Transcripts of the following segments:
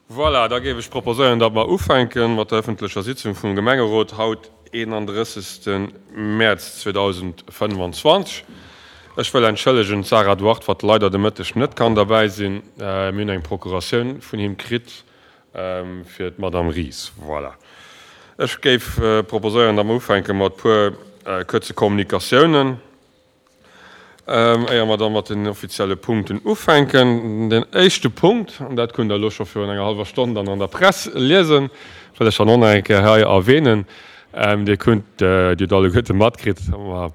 Voilà, da géif ech proposéieren, datt mer ufänke mat der öffentlecher Sitzung vum Gemengerot haut, 31. Mäerz 2025. Ech wëll entschëllegen d'Sarah Duarte, wat leider de Mëtteg net kann derbäi sinn. Mir hunn eng Procuratioun vun him kritt fir d'Madame Ries. Voilà. Ech géif proposéieren, datt mer ufänke mat puer kuerze Kommunikatiounen. Éier mer da mat den offizielle Punkten ufänken, den éischte Punkt, an dat kunnt Der elo scho virun enger hallwer Stonn dann an der Press liesen, wëll ech dann och nach eng Kéier hei erwähnen, Dir kunnt, Dir hutt alleguerte matkritt, datt mer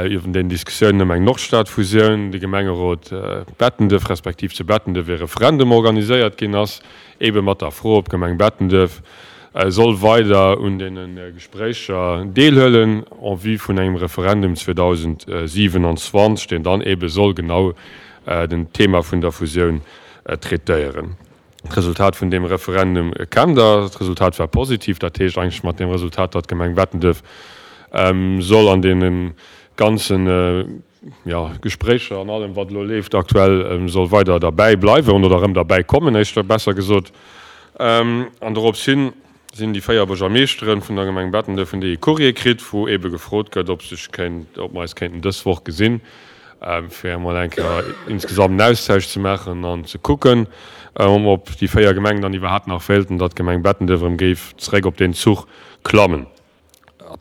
iwwer den Diskussiounen ëm eng Nordstadfusioun, de Gemengerot Bettenduerf respektiv zu Bettenduerf e Referendum organiséiert ginn ass, eebe mat der Fro, ob d'Gemeng Bettenduerf soll weider un deene Gespréicher deelhuelen en vue vun engem Referendum 2027, deen dann eebe soll genau den Thema vun der Fusioun traitéieren. D'Resultat vun deem Referendum kennt Der. D'Resultat war positiv. Dat heescht eigentlech mat deem Resultat, datt d'Gemeng Bettenduerf soll an deene ganzen, jo, Gespréicher an allem, wat elo leeft aktuell, soll weider derbäi bleiwen oder erëm derbäi kommen, éischter besser gesot. An dorops hin sinn déi 4 Buergermeeschteren vun der Gemeng Bettenduerf hunn déi ee Courrier kritt, wou eebe gefrot gëtt, ob sech kéint, ob mer eis kéinten dës Woch gesinn, fir emol eng Kéier insgesamt en Austausch ze maachen an ze kucken, ob déi 4 Gemengen dann iwwerhaapt nach wéilten, datt d'Gemeng Bettenduerf erëm géif zeréck op deen Zuch klammen.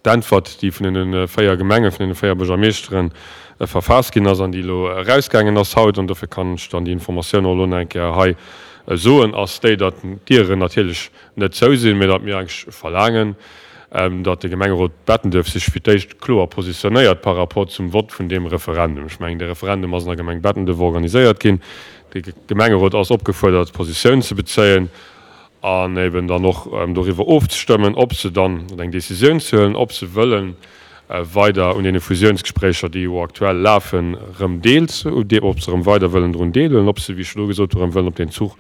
D'Äntwert, déi vun deene 4 Gemengen, vun deene 4 Buergermeeschteren verfaasst ginn ass an déi elo erausgaangen ass haut, an dofir kann ech dann déi Informatioun och elo nach eng Kéier hei soen, ass déi, datt d'Dieren natierlech net zou sinn, mä datt mir eigentlech verlaangen, datt de Gemengerot Bettenduerf sech fir d'éischt kloer positionéiert par rapport zum Vott vun deem Referendum. Ech mengen, de Referendum ass an der Gemeng Bettenduerf organiséiert ginn. De Gemengerot ass opgefuerdert, Positioun ze bezéien. an eben dann och doriwwer ofzestëmmen, ob se dann, oder eng Décisioun ze huelen, ob se wëlle weider un deene Fusiounsgespréicher, déi jo aktuell lafen, erëm deel, ob se erëm weider wëllen drun deelhuelen, ob se, wéi ech elo gesot hu, erëm wëllen op deen Zuch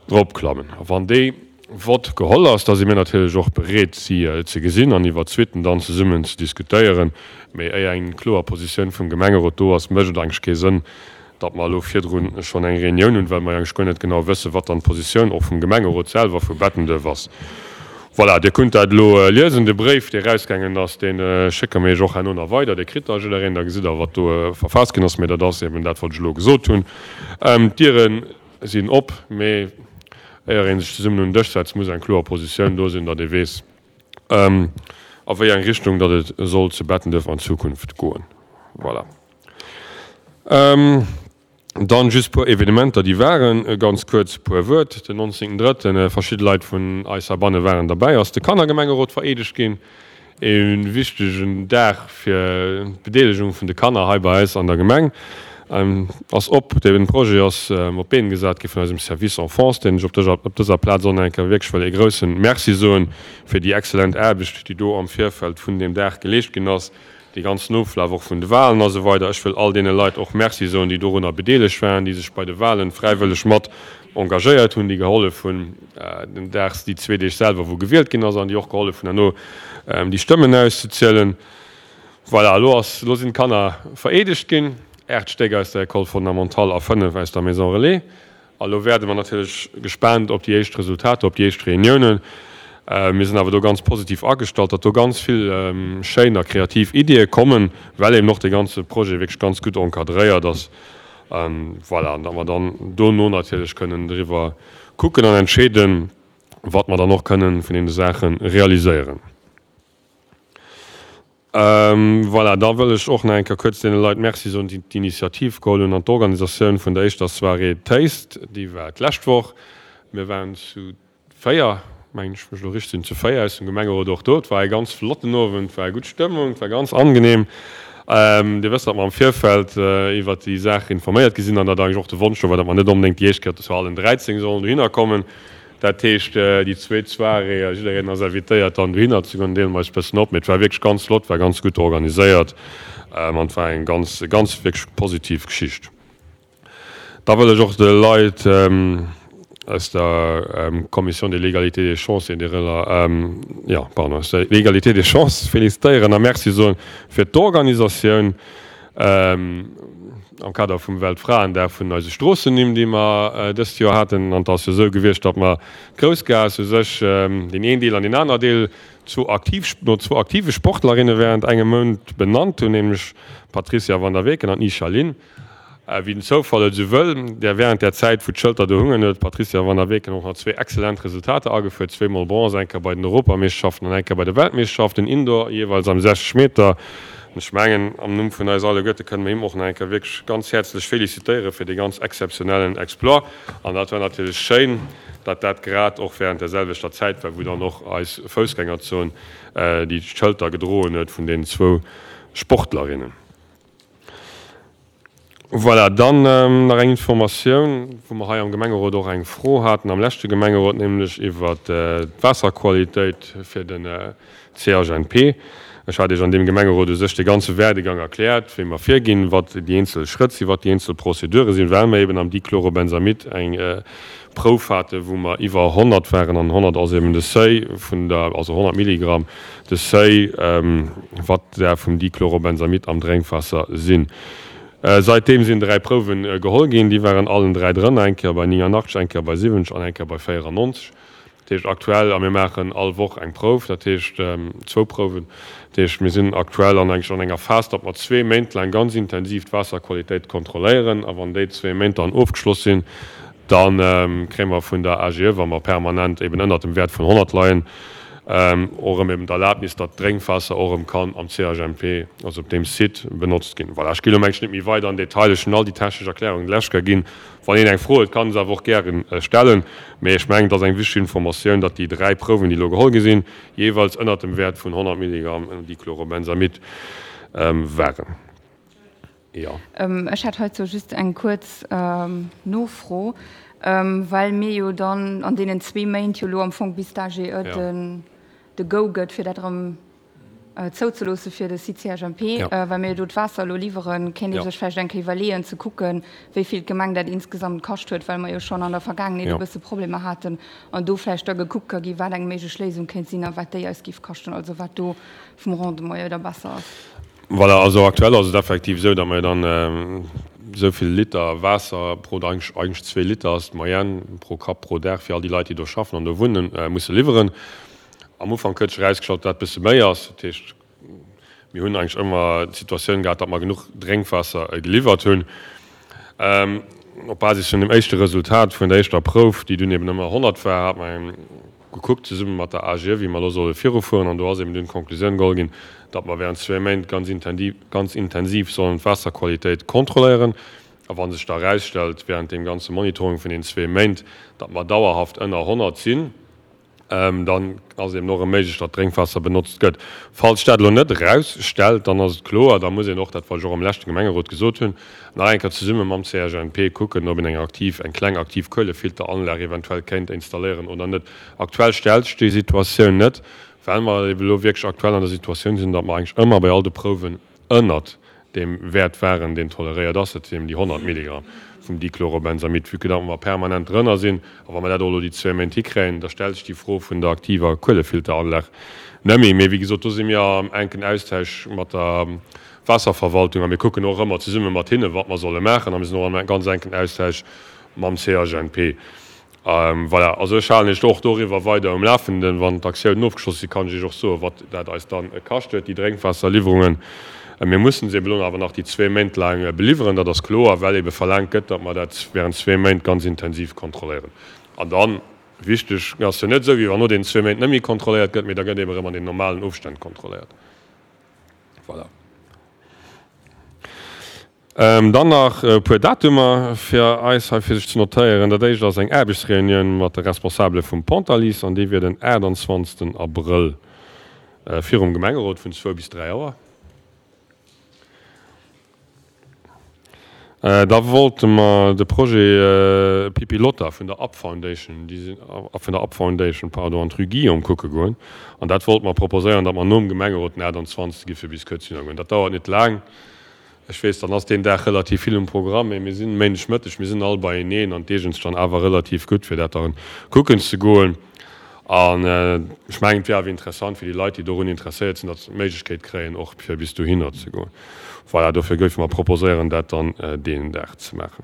dropklammen. A wann dee Vott geholl ass, da si mir natierlech och bereet, si ze gesinn an iwwert d'Suitten dann zesummen ze diskutéieren. Mee éier eng kloer Positioun vum Gemengerot do ass, mécht et eigentlech kee Sënn, datt mer elo virdru schonn eng Reunioun hunn, well mer jo eigentlech guer net genau wëssen, wat dann d'Positioun och vum Gemengerot selwer vu Bettenduerf ass. Voilà, Dir kunnt dat elo liesen, de Bréif, dee erausgaangen ass, dee schécke mir Iech och herno nach weider, dee kritt da jiddereen, da gesitt Der, wat do verfaasst ginn ass. Mee dat ass eben dat, wat ech elo gesot hunn. D'Diere sinn op, mee éier ee sech zesummen un den Dësch setzt, muss eng kloer Positioun do sinn, datt ee weess, a wéi eng Richtung datt et soll zu Bettenduerf an Zukunft goen. Voilà. Dann just puer Evenementer déi waren, ganz kuerz puer Wuert. Den 19 drëtten, verschidde Leit vun eis heibanne waren derbäi, ass de Kannergemengerot vereedegt ginn. E wichtegen Dag fir d'Bedeelegung vun de Kanner hei bei eis an der Gemeng. Ass op, dee Projet ass op d'Been gesat gi vun eisem Service Enfance, deen ech op dëser Plaz och nach eng Kéier wierklech wëll ee grousse Merci soen fir déi excellent Aarbecht déi do am Virfeld vun deem Dag geleescht ginn ass. Dee ganzen Oflaf och vun de Wahlen a sou weider. Ech wëll all deene Leit och Merci soen, déi dorunner bedeelegt waren, déi sech bei de Wahlen fräiwëlleg mat engagéiert hunn, déi gehollef hunn den Dag, déi zwee Deeg selwer, wou gewielt ginn ass, an déi och gehollef hunn herno déi Stëmmen auszezielen. Voilà, elo ass, elo sinn d'Kanner vereedegt ginn, 8 Stéck aus der École fondamentale a 5 aus der Maison Relais. A lo wäerde mer natierlech gespaant op déi éischt Resultater, op déi éischt Reuniounen. Mir sinn awer do ganz positiv agestallt, datt do ganz vill schéin a kreativ Ideeë kommen, well eben och dee ganze Projet wierklech ganz gutt encadréiert ass. Voilà, an datt mer dann dono natierlech kënnen driwwer kucken an entscheeden, wat mer dann och kënnen vun deene Saache realiséieren. Voilà, da wëll ech och nach eng Kéier kuerz deene Leit Merci soen, déi d'Initiativ geholl hunn an d'Organisatioun vun der éischter Soirée Taste. Déi war d'lescht Woch. Mir waren zu 4, mengen ech, wann ech elo richteg sinn, zu 4 aus dem Gemengerot och do. Et war e ganz flotten Owend, et war gutt Stëmmung, et war ganz angenehm. Dir wësst, datt mer am Virfeld iwwert déi Saach informéiert gi sinn an datt eigentlech och de Wonsch do war, datt mer net onbedéngt déi éischt Kéier zu allen 13 sollen dohinner kommen. Dat heescht, déi zweet Soirée, jiddereen ass invitéiert dann dohinner ze goen, deele mer eis e bëssen op. Mee et war wierklech ganz flott, war ganz gutt organiséiert an et war eng ganz, ganz wierklech positiv Geschicht. Da wëll ech och de Leit aus der Commission de l'égalité des chances et des rela, jo, pardon, aus der l'égalité des chances félicitéieren a Merci soen fir d'Organisatioun. am Kader vum Weltfraendag vun eise Stroossennimm, déi mer dëst Joer haten. An et ass jo esou gewiescht, datt mer d'Groussgaass u sech, deen een Deel an deen aner Deel, zwou aktiv, no zwou aktive Sportlerinne während engem Mount benannt hunn, nämlech d'Patricia van der Weken an d'Nisha Lin. Wéi den Zoufall et esou wëll, där während där Zäit, wou d'Schëlter do hungen, huet d'Patricia van der Weken och nach zwee excellent Resultater agefuer, zweemol Bronze, eng Kéier bei den Europameeschterschaften an eng Kéier bei de Weltmeeschterschaften Indoor, jeeweils am 60 Meter. An ech mengen, am Numm vun eis alleguerte kënne mer him och nach eng Kéier wierklech ganz häerzlech felicitéiere fir dee ganz exzeptionellen Exploit. An dat war natierlech schéin, datt dat grad och während där selwechter Zäit war, wou dann och eis Foussgängerzon déi Schëlter gedroen huet vun deenen zwou Sportlerinnen. Voilà, dann nach eng Informatioun, wou mer hei am Gemengerot och eng Fro haten am leschte Gemengerot, nämlech iwwert d'Waasserqualitéit fir den CHNP. Ech hat Iech an deem Gemengerot u sech de ganze Werdegang erkläert, wéi mer virginn, wat déi eenzel Schrëtt sinn, wat déi eenzel Prozedure sinn, well mer eben am Dichlorobenzamid eng Prouf haten, wou mer iwwer 100 waren, an 100 ass eben de Seuil vun der, also 100 Milligramm, de Seuil, wat der vum Dichlorobenzamid am Drénkwaasser sinn. Saitdeem sinn 3 Prouwe geholl ginn, déi waren allen 3 drënner, eng Kéier bei 89, eng Kéier bei 70 an eng Kéier bei 94. Dat heescht aktuell, a mir maachen all Woch eng Prouf, dat heescht zwou Prouwen, dat heescht mir sinn aktuell an eigentlech an enger Phas, datt mer zwee Méint laang ganz intensiv d'Waasserqualitéit kontrolléieren a wann déi zwee Méint dann ofgeschloss sinn, Da kréie mer vun der AGE, wa mer permanent eben ënnert dem Wäert vun 100 leien, och erëm eben d'Erlaabnis, datt d'Drénkwaasser och erëm kann am CHMP, also op deem Site, benotzt ginn. Voilà, ech gi elo mengen ech net méi weider an Detail. Ech hunn all déi technesch Erklärungen lech ka ginn. Wann een eng Fro huet, kann e se awer och gäre stellen. Mee ech mengen, et ass eng wichteg Informatioun, datt déi 3 Prouwen, déi elo geholl gi sinn, jeeweils ënnert dem Wäert vun 100 Milligramm Dichlorobenzamid waren. Jo. Ech hätt heizou just eng kuerz Nofro, well mir jo dann an deenen zwee Méint jo elo am Fong bis d'AGE de Go gëtt, fir dat erëm zouzeloosse fir de Site CHMP, well mir jo do d'Waasser elo liwweren, kéint ee sech vläicht eng Kéier iwwerleeën ze kucken, wéi vill d'Gemeng dat insgesamt kascht huet, well mer jo schonn an der Vergaangenheet e bësse Problemer haten an do vläicht da gekuckt ka gi wat eng méiglech Léisung kéint sinn a wat déi eis géif kaschten, also wat do vum Rendement jo da besser ass. Voilà, also aktuell ass et effektiv esou, datt mer dann esou vill Liter Waasser pro, eigentlech zwee Liter ass d'Moyenne pro Kapp pro Dag fir all déi Leit, déi do schaffen an do wunnen, musse liwweren. Am Ufank huet sech erausgestallt, datt dat e bësse méi ass. Dat heescht, mir hunn eigentlech ëmmer d'Situatioun gehat, datt mer genuch Drénkwaasser geliwwert hunn. Op Basis vun dem éischte Resultat vun der éischter Prouf, déi dunn eben ëmmer 100 war, hat mer eng, gekuckt zesumme mat der AGE, wéi mer elo solle virufueren. An do ass eben dunn d'Konklusioun geholl ginn, datt mer während zwee Méint ganz intendiv, ganz intensiv sollen d'Waasserqualitéit kontrolléieren. A wa sech da erausstellt während deem ganze Monitoring vun den zwee Méint, datt mer dauerhaft ënner 100 sinn, dann ass et eben och erëm méiglech, datt Drénkwaasser benotzt gëtt. Falls sech dat elo net erausstellt, dann ass et kloer, da muss een och dat, wat ech och am leschte Gemengerot gesot hunn, Nach eng Kéier zesumme mam CHNP kucken, ob een eng aktiv, eng kleng aktiv Kuelefilteranlag eventuell kéint installéieren oder net. Aktuell stellt sech déi Situatioun net, well mer ebe lo wierklech aktuell an der Situatioun sinn, datt mer eigentlech ëmmer bei all de Prouwen ënnert deem Wäert waren, deen toleréiert ass, dat sinn eben déi 100 Milligramm vum Dichlorobenzamid. Vue que datt mer permanent drënner sinn, a wa mer dat och elo déi zwee Méint hikréien, da stellt sech déi Fro vun der aktiver Kuelefilteranlag net méi. Mee wéi gesot, do si mir am enken Austausch mat der Waasserverwaltung a mir kucken och ëmmer zesumme mat hinne wat mer solle maachen a mir sinn och am ganz enken Austausch mam CHNP. Voilà, also ech halen Iech och doriwwer weider um Lafenden. Wann d'Aktiounen ofgeschloss sinn, kann ech Iech och soen, wat dat eis dann kascht huet, déi Drénkwaasserliwwerungen. Mir mussen se eben elo awer nach déi zwee Méint laang beliwweren, dat ass kloer, well ebe verlaangt gëtt, datt mer dat während zwee Méint ganz intensiv kontrolléieren. An dann, wichteg, ass jo net esou, wéi wann no deenen zwee Méint net méi kontrolléiert gëtt, mee da gëtt eben erëm an den normalen Ofstänn kontrolléiert. Voilà. Dann nach e puer Datumer fir eis hei fir sech ze notéieren. Dat éischt ass eng Aarbechtsreunioun mat de Responsabele vum Pontalice an déi wier den 28. Abrëll virum Gemengerot vun zwou bis 3 Auer. Da wollte mer de Projet Pipilotta vun der Up Foundation, déi sinn, vun der Up Foundation, pardon, an d'Rue Guillaume kucke goen. An dat wollte mer proposéieren, datt mer nom Gemengerot den 28. gi fir bis kuerz hinner goen. Dat dauert net laang. Ech weess, dann ass deen Dag relativ vill um Programm, mee mir sinn Méindegmëtteg, mir sinn all beieneen an d'eegent sech dann awer relativ gutt, fir dat dann kucken ze goen. An ech mengen, et wier awer interessant fir déi Leit, déi dorun interesséiert sinn, datt se d'Méiglechkeet kréien, och fir bis dohinner ze goen. Voilà, dofir géife mer proposéieren, dat dann deen Dag ze maachen.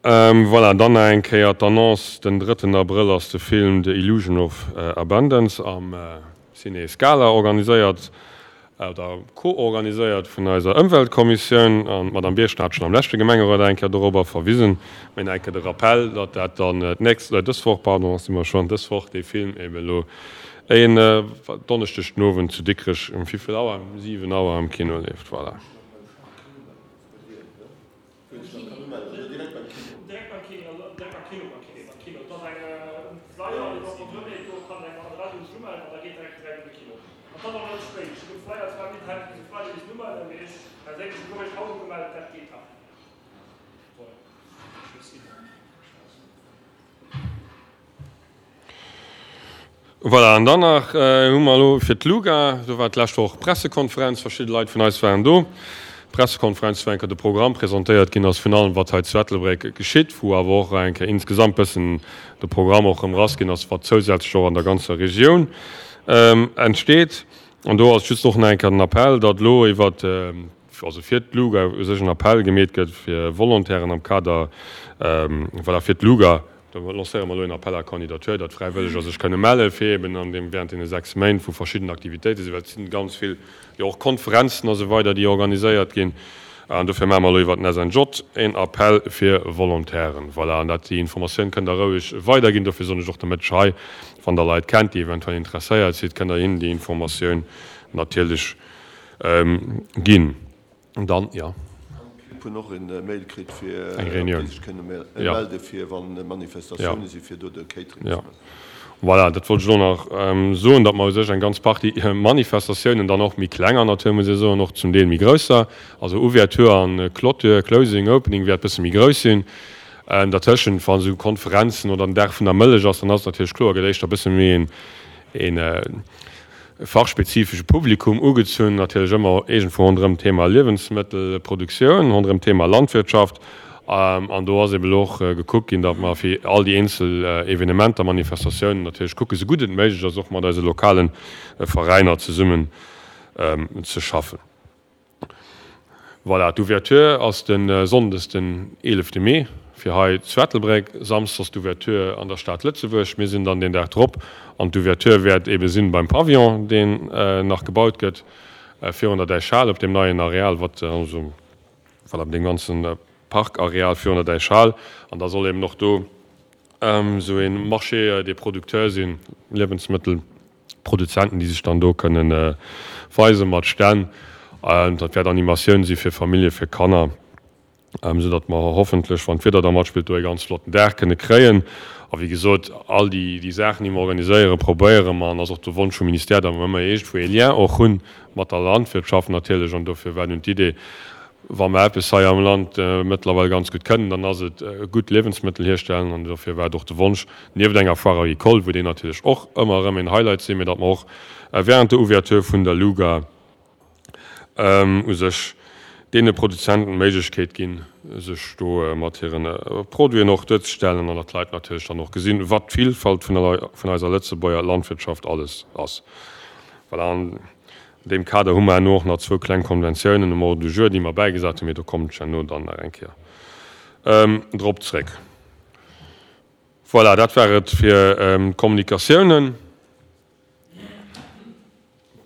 Voilà, dann nach eng Kéier d'Annonce, Den drëtten Abrëll ass de Film The Illusion of Abundance am Ciné Scala organiséiert oder co-organiséiert vun eiser Ëmweltkommissioun. An d'Madame Birchen hat schonn am leschte Gemengerot eng Kéier dorobber verwisen. Mee nach eng Kéier de Rappell, datt dat dann d'nächst, dës Woch, pardon, si mer schonn, dës Woch dee Film eben elo en Donneschdeg den Owend zu Dikrech um wéi vill Auer? Um 7 Auer am Kino leeft. Voilà. Voilà, an dann nach hu mer elo fir d'LUGA, do war d'lescht Woch Pressekonferenz, verschidde Leit vun eis waren do, Pressekonferenz, wou eng Kéier de Programm presentéiert ginn ass vun allem, wat hei zu Ettelbréck geschitt, wou awer och eng Kéier insgesamt bëssen de Programm och erëm rassginn ass, wat zousätzlech och an der ganzer Regioun entsteet. An do ass just och nach eng Kéier den Appell, datt elo iwwert, also fir d'LUGA u sech en Appell gemeet gëtt fir Volontairen am Kader, voilà, fir d'LUGA, do lancéiere mer elo en Appel à candidature, datt Fräiwëlleger sech kënne melle fir eben an deem, während deene 6 Méint, wou verschidden Aktivitéite sinn, well et sinn ganz vill jo och Konferenzen a sou weider, déi organiséiert ginn. An dofir maache mer elo iwwert den SNJ en Appell fir Volontairen. Voilà, an dat, déi Informatioun kënnt Der roueg weiderginn. Dofir soen ech och de Mëtteg hei, wann Der Leit kennt, déi eventuell interesséiert sinn, kënnt Der hinnen déi Informatioun natierlech Ginn. Dann, jo. An d'Clibb hunn och en Mail kritt fir Eng Reunioun. datt déi sech kënne melde fir wann Manifestatioune si fir do de Catering ze Jo. maachen. Voilà, dat wollt ech elo nach soen, datt mer u sech eng ganz Partie Manifestatiounen, dann och méi klenger natierlech, muss ee soen, och zum Deel méi grousser, also Ouverture an Clôture, Closing, Opening wäert bësse méi grouss sinn. Dertëschent, wa sou Konferenzen oder den Dag vun der Mëllech ass, dann ass et natierlech kloer, gëtt éischter bësse méi een, een fachspezifesche Publikum ugezunn, natierlech ëmmer iergendwou ronderëm d'Thema Liewensmëttelproduktioun, ronderëm d'Thema Landwirtschaft. An do ass eeben elo och gekuckt ginn, datt mer fir all déi eenzel Evenementer, Manifestatiounen natierlech kucken, esou gutt et méiglech ass, och mat eise lokale Veräiner zesummen ze schaffen. Voilà, d'Ouverture ass de Sonndes den 11 Mee fir hei zu Ettelbréck, Samsdes ass d'Ouverture an der Stad Lëtzebuerg. Mir sinn dann deen Dag drop an d'Ouverture wäert ebe sinn beim Pavillon, deen nach gebaut gëtt virun der Däichhal op deem neien Areal, wat also voilà, op deem ganze Parkareal virun der Däichhal. An da soll eben och do esou ee Marché des producteurs sinn, Liewensmëttel. Produzenten, déi sech dann do kënnen weise mat Stänn. Dat wäert Animatioun si fir Famillje, fir Kanner, esou datt mer hoffentlech, wann d'Wieder da matspillt, do e ganz flotten Dag kënne kréien. A wéi gesot, all déi déi Saachen, déi mer organiséieren, probéiere mer, an ass och de Wonsch vum Ministère, datt mer ëmmer iergendwou ee Lien och hu mat der Landwirtschaft natierlech. An dofir war dunn d'Idee, wa mer eppes hei am Land mëttlerweil ganz gutt kënnen, dann ass et gutt Liewensmëttel hierstellen. An dofir war et och de Wonsch, nieft enger Foire agricole, wou déi natierlech och ëmmer erëm een Highlight sinn, mee datt mer och während der Ouverture vun der Luga u sech deene Produzenten d'Méiglechkeet ginn, sech do mat hire Produiten och duerzestellen an datt d'Leit natierlech dann och gesinn, wat d'Vilfalt vun eiser Lëtzebuerger Landwirtschaft alles ass. Voilà. An deem Kader hu mer herno och nach zwou kleng Konventiounen um Ordre du jour, déi mer bäigesat hunn, mee do kommen ech herno dann nach eng Kéier drop zréck. Voilà, dat war et fir d'Kommunikatiounen.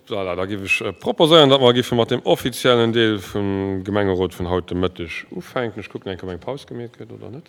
Voilà, da géif ech proposéieren, datt mer géife mat dem offiziellen Deel vum Gemengerot vun haut de Mëtteg ufänken. Ech kucken eng Kéier, ob eng Paus gemeet gëtt oder net.